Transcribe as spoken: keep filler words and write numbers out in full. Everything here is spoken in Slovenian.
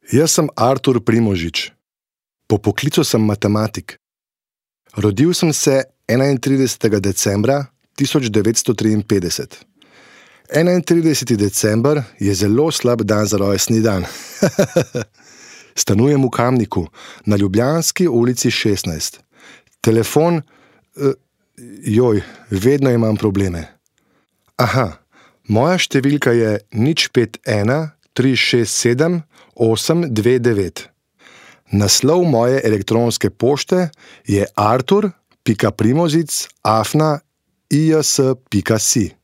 Jaz sem Artur Primožič. Po poklicu sem matematik. Rodil sem se enaintridesetega decembra tisoč devetsto triinpetdeset. enaintrideseti december je zelo slab dan za rojstni dan. Stanujem v Kamniku, na Ljubljanski ulici šestnajst. Telefon, eh, joj, vedno imam probleme. Aha, moja številka je nič pet ena tri šest sedem osem dve devet. Naslov moje elektronske pošte je artur pika primozic afna ijs pika si.